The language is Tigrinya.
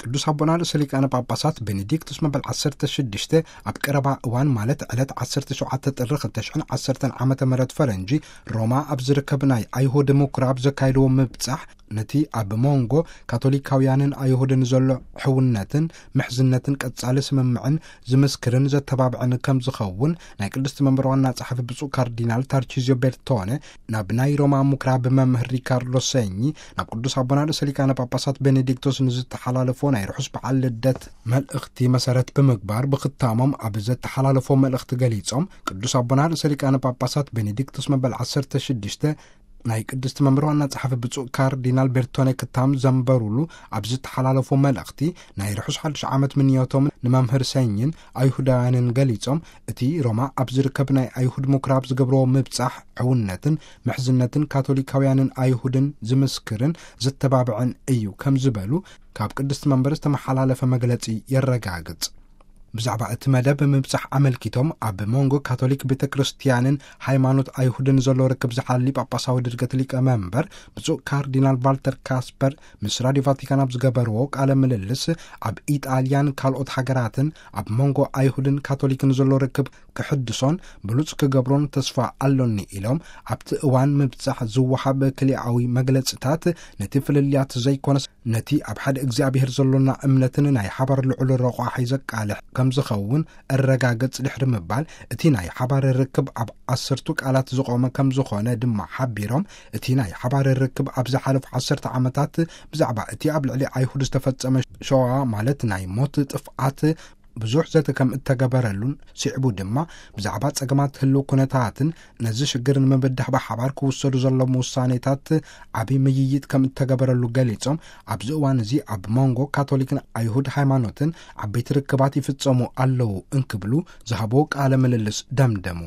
ቅዱስ ኣቦና ርእሰ ሊቃነ ጳጳሳት ቤኔዲክቱስ መበል ዓሰርተ ሽዱሽተ ኣብ ቀረባ እዋን፣ ማለት ዕለት ዓሰርተ ሸውዓተ ጥሪ ክልተ ሽሕን ዓሰርተን ዓመተ ምህረት ፈረንጂ፣ ሮማ ኣብ ዝርከብ ናይ ኣይሁድ ምኩራብ ዘካየድዎ ምብጻሕ፣ ነቲ ኣብ መንጎ ካቶሊካውያንን ኣይሁድን ዘሎ ሕውነትን ምሕዝነትን ቀጻሊ ስምምዕን ዝምስክርን ዘተባብዕን ከም ዝኸውን ናይ ቅድስቲ መንበር ዋና ጸሓፊ ብፁዕ ካርዲናል ታርቺዚዮ ቤርቶነ ናብ ናይ ሮማ ምኩራብ መምህር ሪካርዶ ሰኚ ናብ ቅዱስ ኣቦና ርእሰ ሊቃነ ጳጳሳት ቤኔዲክቶስ ንዝተሓላለፎ ናይ ርሑስ በዓል ልደት መልእኽቲ መሰረት ብምግባር፣ ብኽታሞም ኣብ ዘተሓላለፎ መልእኽቲ ገሊጾም፣ ቅዱስ ኣቦና ርእሰ ሊቃነ ጳጳሳት ቤኔዲክቶስ መበል ዓሰርተ ሽዱሽተ ናይ ቅድስቲ መንበር ዋና ጸሓፊ ብፁዕ ካርዲናል ቤርቶኔ ክታም ዘንበሩሉ ኣብ ዝተሓላለፎ መልእኽቲ፣ ናይ ርሑስ ሓድሽ ዓመት ምንዮቶም ንመምህር ሰኝን ኣይሁዳውያንን ገሊጾም፣ እቲ ሮማ ኣብ ዝርከብ ናይ ኣይሁድ ምኩራብ ዝገብርዎ ምብጻሕ ሕውነትን ምሕዝነትን ካቶሊካውያንን ኣይሁድን ዝምስክርን ዘተባብዕን እዩ ከም ዝበሉ ካብ ቅድስቲ መንበር ዝተመሓላለፈ መግለጺ የረጋግጽ። ብዛዕባ እቲ መደብ ምብጻሕ ኣመልኪቶም፣ ኣብ መንጎ ካቶሊክ ቤተ ክርስቲያንን ሃይማኖት ኣይሁድን ዘሎ ርክብ ዝሓሊ ጳጳሳዊ ድርገት ሊቀ መንበር ብፁዕ ካርዲናል ቫልተር ካስፐር ምስ ራዲዮ ቫቲካን ኣብ ዝገበርዎ ቃለ ምልልስ፣ ኣብ ኢጣልያን ካልኦት ሃገራትን ኣብ መንጎ ኣይሁድን ካቶሊክን ዘሎ ርክብ ክሕድሶን ብሉጽ ክገብሮን ተስፋ ኣሎኒ ኢሎም፣ ኣብቲ እዋን ምብጻሕ ዝወሃብ ክልኣዊ መግለጽታት ነቲ ፍልልያት ዘይኮነስ ነቲ ኣብ ሓደ እግዚኣብሔር ዘሎና እምነትን ናይ ሓባር ልዑል ረቋሒ ዘቃልሕ ከም ዝኸውን እረጋግጽ ድሕሪ ምባል፣ እቲ ናይ ሓባር ርክብ ኣብ ዓሰርቱ ቃላት ዝቖመ ከም ዝኾነ ድማ ሓቢሮም፣ እቲ ናይ ሓባር ርክብ ኣብ ዝሓለፉ ዓሰርተ ዓመታት ብዛዕባ እቲ ኣብ ልዕሊ ኣይሁድ ዝተፈጸመ ሸዋ፣ ማለት ናይ ሞት ጥፍኣት፣ ብዙሕ ዘተ ከም እተገበረሉን፣ ስዕቡ ድማ ብዛዕባ ጸገማት ህልው ኩነታትን ነዚ ሽግር ንምብዳህ ብሓባር ክውሰዱ ዘለዎም ውሳኔታት ዓቢ ምይይጥ ከም እተገበረሉ ገሊጾም፣ ኣብዚ እዋን እዚ ኣብ መንጎ ካቶሊክን ኣይሁድ ሃይማኖትን ዓበይቲ ርክባት ይፍጸሙ ኣለዉ እንክብሉ ዝሃብዎ ቃለ ምልልስ ደምደሙ።